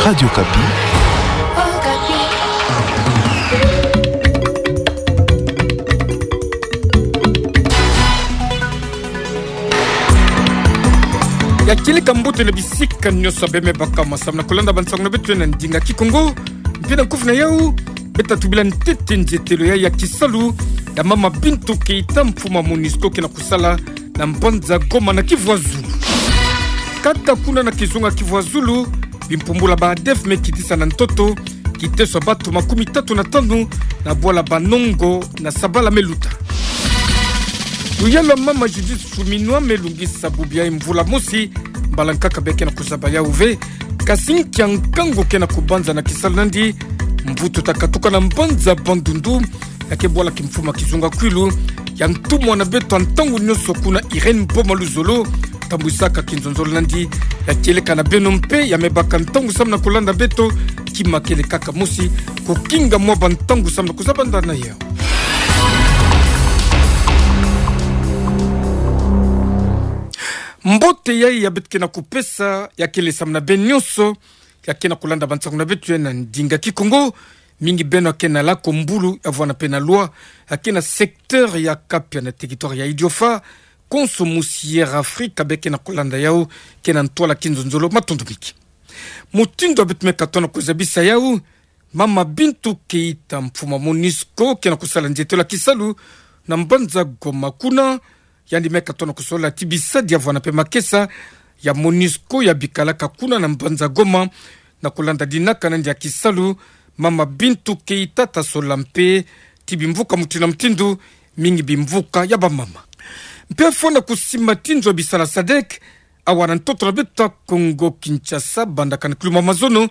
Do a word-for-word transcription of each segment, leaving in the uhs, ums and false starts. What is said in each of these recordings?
Radio Okapi. Ya kieleka mbote na bisika nyonso beme baka masamna kulanda bansangu na beto na ndinga Kikongo. Mpe na nkufi na yau, beta tubila ntete nzietelo ya, ya kisalu ya mama Bintou Keita, mfumu MONUSCO, ke na kusala na mbanza Goma na Kivu ya Zulu. Kaka kuna na kizunga Kivu ya Zulu, bimpumbulu ya ba ADF me kitisa na ntoto kiteso ya bato makumi tatu na tanu na bwala Banongo na sabala me luta. Luyalu ya mama Judith Suminwa me lungisa bubu ya mvula mosi, mbala nkaka beke na kuzaba yau ve. Kasi nkia nkangu ke na kubanza na kisalu nandi, mvutu ta katuka na mbanza Bandundu, ya ke bwala kimfumu ya kizunga Kwilu, ya ntumwa na beto ya ntangu nyonso kuna, Irène Boma Luzolo, tambwisaka kinzonzolo nandi. Ya kieleka na beno mpe ya me baka ntangu samu na kulanda beto, kima kele kaka mosi, kukinga mwa ba ntangu samu na kuzaba ndana yau. Mbote yai ya beto ke na kupesa, ya kele samu na beno nyonso ya ke na kulanda bansangu na beto na ndinga Kikongo, mingi beno ya ke na lako mbulu ya vwanda mpe na loi, ya ke na secteur ya Kapia na territoire ya Idiofa, konso musi Air Afrique beke na kulanda yau, ke na ntwala kinzonzolo, matondo mingi. Mutindu ya beto me katuka na kuzabisa yau, mama Bintou Keita, mfumu MONUSCO, ke na kusala nzietelo ya kisalu na mbanza Goma kuna, yandi me katuka na kusolola ti bisadi ya vwanda mpe makesa ya MONUSCO ya bikalaka kuna na mbanza Goma, na kulanda dinaka nandi ya kisalu. Mama Bintou Keita ta solola mpe ti bimvuka mutindu na mutindu, mingi bimvuka ya bamama. Mpe fwana kusimba ti nzo ya bisala SADC, awa na ntoto na beto ya Kongo Kinshasa, bandaka na kiluma mazono,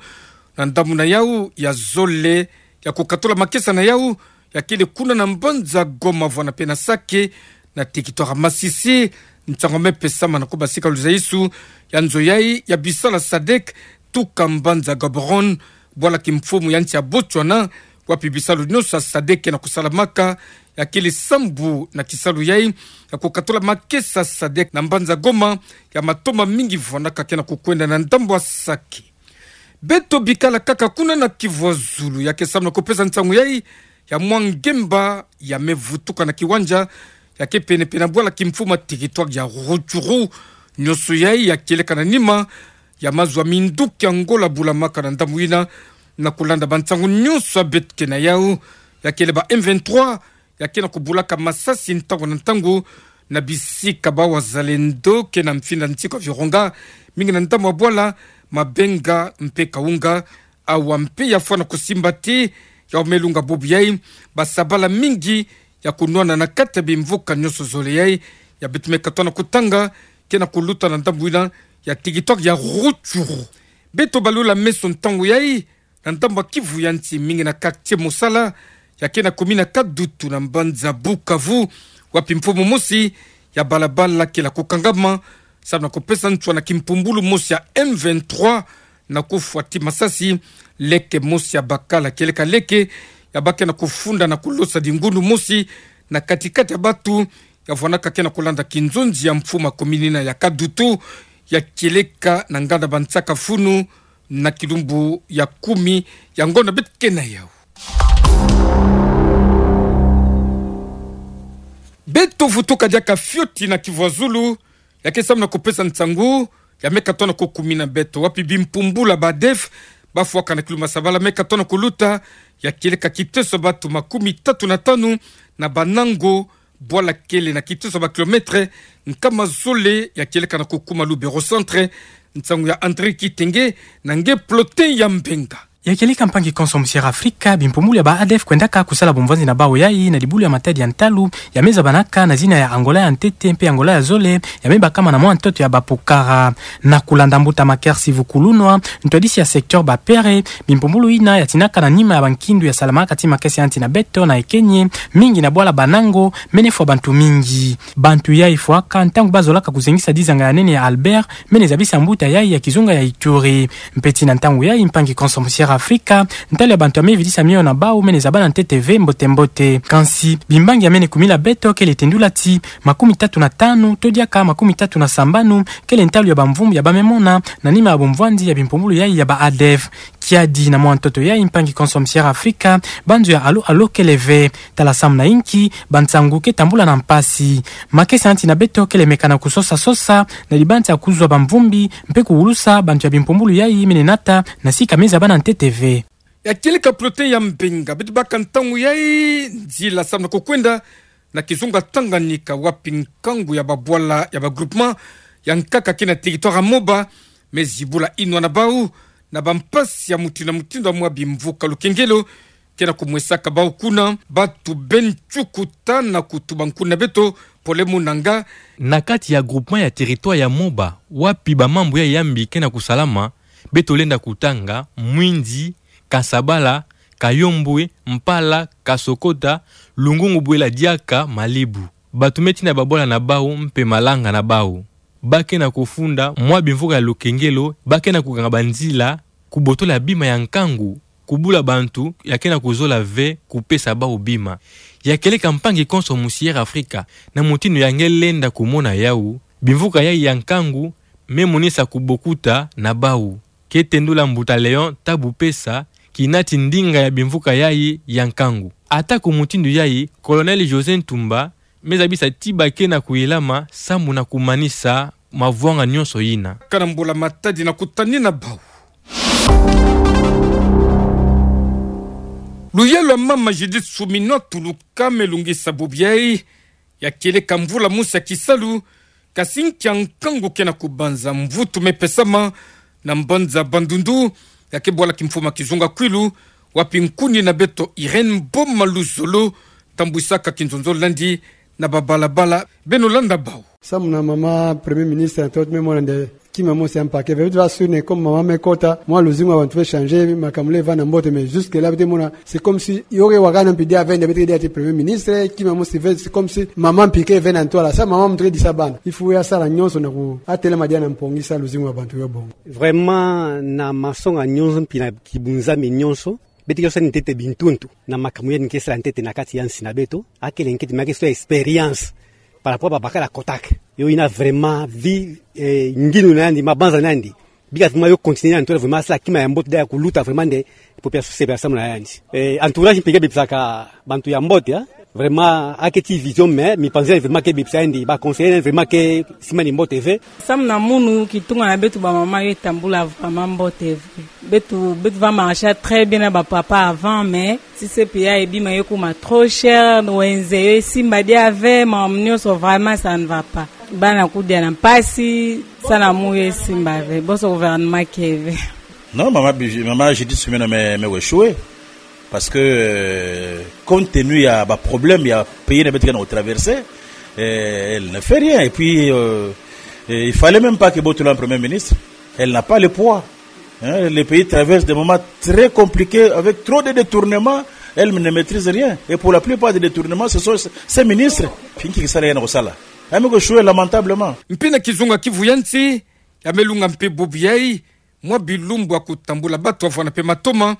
na ndambu na yau ya zole ya kukatula makesa na yau, ya kele kuna na mbanza Goma vwanda mpe na Sake, na territoire Masisi. Nsangu me pesama na ko basika luzaisu ya nzo yai ya bisala SADC tuka mbanza Gaborone, bwala kimfumu ya nsi ya Botswana, wapi bisalu nyonso ya SADC ke na kusalamaka, ya kele sambu na kisalu yai ya kukatula makesa SADC na mbanza Goma, ya matoma mingi vwandaka ke na kukwenda na ndambu ya Sake. Beto bikala kaka kuna na Kivu ya Zulu, ya ke samu na kupesa nsangu yai ya mwa ngemba ya me vutuka na kiwanja ya ke pene-pene na bwala kimfumu ya territoire ya Rutshuru. Nyonso yai ya kieleka na nima ya mazu ya minduki ya Angola bulamaka na ndambu yina. Na kulanda bansangu nyonso ya beto ke na yau, ya kele ba M vingt-trois ya ke na kubulaka masasi ntangu na ntangu na bisika ba wazalendo ke na mfinda nsiku ya Virunga, mingi na ndambu ya bwala Mabenga mpe Kaunga. Awa mpe ya fwana kusimba ti ya me lunga bubu yai, basabala mingi ya kunwana na kati ya bimvuka nyonso zole yai ya beto me katuka na kutanga, ke na kuluta na ndambu yina ya territoire ya Rutshuru. Beto balula meso ntangu yai na ndambu ya Kivu ya nsi, mingi na quartier Mosala ya ke na commune ya Kadutu na mbanza Bukavu, wapi mfumu mosi ya balabala kele ya kukangama samu na kupesa nswa na kimpumbulu mosi ya M vingt-trois, na kufwa ti masasi leke mosi ya bakala, kieleka leke ya ba ke na kufunda na kulosa dingundu mosi na kati-kati ya bato ya vwandaka ke na kulanda kinzonzi ya mfumu ya commune yina ya Kadutu, ya kieleka na nganda Bansaka-Funu, na kilumbu ya kumi ya ngonda beto ke na yau. Beto vutuka diaka fioti na Kivu ya Zulu, ya ke samu na kupesa nsangu ya me katuka na kukumina beto wapi bimpumbulu ya ba ADF bafwaka na kiluma sabala me katuka na kuluta, ya kieleka kiteso ya bato makumi tatu na tanu na Banango, bwala kele na kiteso ya ba kilomètre nkama zole, ya kieleka na kukuma Lubero Centre. Nsangu ya André Kitenge na nge Plotin ya Mbenga. Ya kieleka mpangi konso musi Air Afrique, bimpumbulu ya ba ADF kwendaka kusala bumvanzi na bawu yai na dibulu ya matadi ya ntalu ya me zabanaka na zina ya Angola ya ntete mpe Angola ya zole, ya me bakama na mwa ntoto ya bapukara. Na kulanda mbuta Maker Sivukulunwa, ntwadisi ya secteur Bapere, bimpumbulu yina ya tinaka na nima ya bankindu ya salamaka ti makesa ya nsi na beto na ekenye, mingi na bwala Banango, mene fwa bantu mingi. Bantu yai fwaka ntangu bazolaka kuzengisa dizanga ya nene ya Albert, mene zabisa mbuta yai ya kizunga ya Ituri. Mpe ti na ntangu yai mpangi konso musi Air Afrika, ntalu ya bantu ya me vidisa miyo na bau mene zabana ntete ve mbote mbote. Kansi, bimbangi ya mene kumila beto kele tendula ti makumi tatu na tanu, to diaka makumi tatu na sambanu, kele ntalu ya bamvumbu ya ba me mona, na nima ya bomvwandi ya bimpumbulu yayi ya ba ADF. Kiadi na mwa ntoto yayi mpangi konso musi Air Afrika, banzo ya alo alo kele ve. Tala samu na inki, bansangu ke tambula na mpasi. Makesa ya nti na beto kele meka na kusosa sosa, na dibanza ya kuzwa bamvumbi, mpe kuwulusa bantu ya bimpumbulu yayi mene nata, na sika me zabana ntete ve. Ya kieleka plote ya Mbenga, beto baka ntangu yayi, nzila samu na kukwenda, na kizunga Tanganyika wapi nkangu ya babwala ya ba groupement ya nkaka ke na territoire ya Moba, me zibula inwa na bau, na bampasi ya mutindu na mutindu ya mwa bimvuka lukengelo, ke na kumwesaka bau kuna, batu be nchukuta na kutuba nkuni na beto, Pole Munanga. Na kati ya groupement ya territoire ya Moba, wapi bamambu yayi ya mbi ke na kusalama, beto lenda kutanga, Mwindi, Kasabala, Kayombwe, Mpala, Kasokota, Lungungu Bwela Diaka, Malibu. Batu me tina babwala na bau, mpe malanga na bau. Ba ke na kufunda mwa bimvuka ya lukengelo, ba ke na kuganga banzila, kubotola bima ya nkangu, kubula bantu ya ke na kuzola ve kupesa bau bima. Ya kieleka mpangi konso musi Air Afrika, na mutindu ya nge lenda kumona yau, bimvuka yayi ya nkangu, me monisa kubokuta na bau. Ke tendula mbuta Léon Tabu Pesa, kinati ndinga ya bimvuka yayi ya nkangu. Ata ku mutindu yayi, Colonel José Ntumba, me zabisa ti ba ke na kuyelama samu na kumanisa mavwanga nyonso yina. Kana mbula matadi na kutani na bau. Luyalu ya mama Judith Suminwa Tuluka me lungisa bubu yayi, ya kieleka mvula mosi ya kisalu, kasi nkia nkangu ke na kubanza mvutu me pesama, na mbanza Bandundu, ya ke bwala kimfuma kizunga Kwilu, wapi nkuni na beto Irène Boma Luzolo, tambwisaka kinzonzolo nandi, na babalabala, beno landa bau. Samu na mama Premier Ministre, ntoto me mona nde, kima mosi ya mpake ve, beto va sûr nde comme mama me kota, mwa luzingu ya bantu ve changer, makambu le va na mbote, mais jusque là, beto mona, c'est comme si, yo ke wakana mpi dia ve nde, beto ke dia ti Premier Ministre, kima mosi ve, c'est comme si, mama mpi ke ve na ntwala, samu mama mpe ke disa bana. Il faut ya sala nyonso na ku, atelema dia na mpongi samu luzingu ya bantu yo bonga. Vraiment, na masonga nyonso mpi na kibunzami nyonso, beto ke sala ntete bintuntu, na makambu yandi ke sala ntete na kati ya nsi na beto, akele nkete me ke sala expérience, par rapport ba bakala kotak. Yo yina vraiment vie, eh, ngindu na yandi, mabanza na yandi. Bika vraiment yo continuer na ntwala vraiment sala kima ya mbote dia kuluta vraiment nde population se ba samu na yandi. Eh, entourage mpi ke bebisaka bantu ya mbote, hein. Vraiment, ake ti vision, mais mipanzi vraiment ke bebisa yandi, ba conseiller vraiment ke simba ni mbote ve. Samu na munu kitunga na beto bamama yo tambula vraiment mbote ve. Beto, beto va marcher très bien na bapapa avant, mais si se pia e bima yo kuma trop cher, wenze yo esimba dia ve, makambu nyonso vraiment ça ne va pas. Bana kudia na mpasi, samu na munu yo esimba ve, bonso gouvernement ke ve. Non, mama Biji-, mama Judith Suminwa me, me échouer. Parce que, euh, compte tenu ya ba problème ya pays na beto ke na traverser, euh, elle ne fait rien. Et puis, euh, euh, il fallait même pas que botola en premier ministre. Elle n'a pas le poids. Hein, le pays traverse des moments très compliqués avec trop de détournements. Elle ne maîtrise rien. Et pour la plupart des détournements, ce sont ses ministres. Pinki kisala ya na kosala. Ame ko échouer lamentablement. Mpi na kizunga Kivu ya nsi, ya me lunga mpe bubu yayi, mwa bilumbu ya kutambula bato ya vwanda mpe matoma,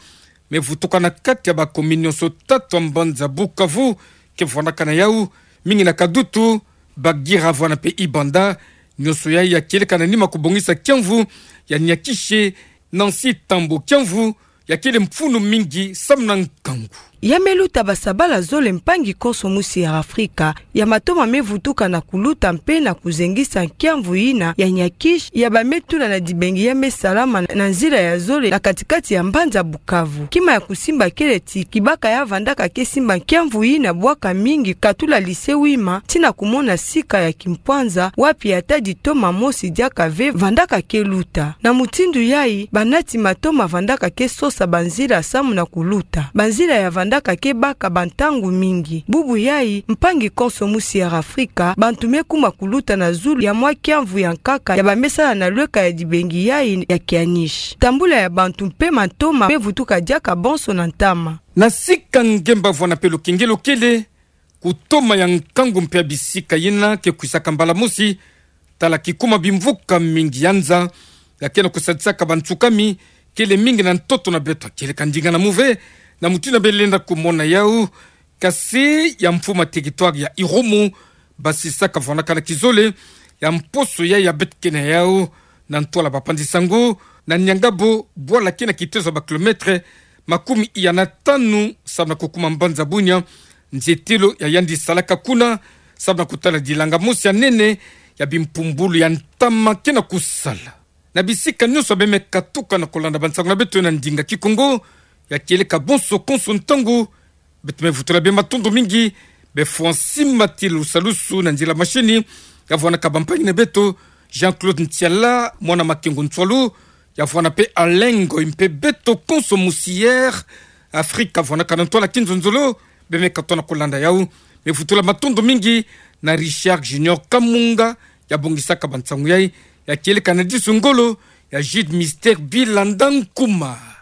me vutuka na kati ya ba commune nyonso tatu ya mbanza Bukavu, ke vwandaka na yau, mingi na Kadutu, Bagira vwanda mpe Ibanda, nyonso yayi ya kieleka na nima kubongisa kiamvu ya Niakishe, Nancy Tambo, kiamvu ya kele mfunu mingi samu na nkangu. Ya me luta basabala zole mpangi konso musi ya Afrika, ya matoma me vutuka na kuluta mpe na kuzengisa kiamvu yina ya Niakishe, ya ba me tula na dibengi ya me salama na nzila ya zole na katikati ya mbanza Bukavu. Kima ya kusimba kele ti, kibaka ya vandaka ke simba kiamvu yina bwaka mingi katula lycée Wima, tina kumona sika ya kimpwanza, wapi ata ditoma mosi diaka ve vandaka ke luta. Na mutindu yayi, banati matoma vandaka ke sosa banzila samu na kuluta. Banzila ya vandaka ke baka bantangu mingi. Bubu yayi, mpangi konso musi ya Afrika, bantu me kuma kuluta na zulu ya mwa kiamvu ya nkaka ya ba me sala na lweka ya dibengi yayi ya Kianish. Tambula ya bantu mpe matoma me vutuka diaka bonso na ntama. Na sika ngemba vwanda mpe lukengelo kele, kutoma ya nkangu mpe ya bisika yina ke kwisaka mbala mosi, tala kikuma bimvuka mingi ya nza, ya ke na kusadisaka bansukami, kele mingi na ntoto na beto, kieleka ndinga na move, na mutindu bele lenda kumona yau. Kasi ya mfuma territoire ya Irumu, basisa kavwanaka na kizole ya mposo ya, ya beto kena yau, na ntwala bapanzi sango, na nianga bo bwala kena kitezo ba kilomètre makumi iya na tanu, samu na kukuma mbanza Bunia, nzietelo ya yandi salaka kuna, samu na kutala dilanga mosi ya nene, ya bimpumbulu ya ntama kena kusala. Na bisika nyonso beme katuka na kolanda bansango na beto na ndinga Kikongo, ya kieleka bonso konso ntangu, beto me vutula bima matondo mingi, be François Matilu Salusu na nzila mashini, ya vwanaka bampangi na beto, Jean-Claude Ntiala, mwana Makengo Ntswalu, ya vwana pe Alengo, mpe beto konso musière, Afrika vwanaka na ntwala kinzonzolo, beme katoa na kolanda yau, me vutula matondo mingi, na Richard Junior Kamunga, ya bongisaka bansango yai, ya kieleka na disu ngolo, ya Jude Mister Bilanda Nkuma.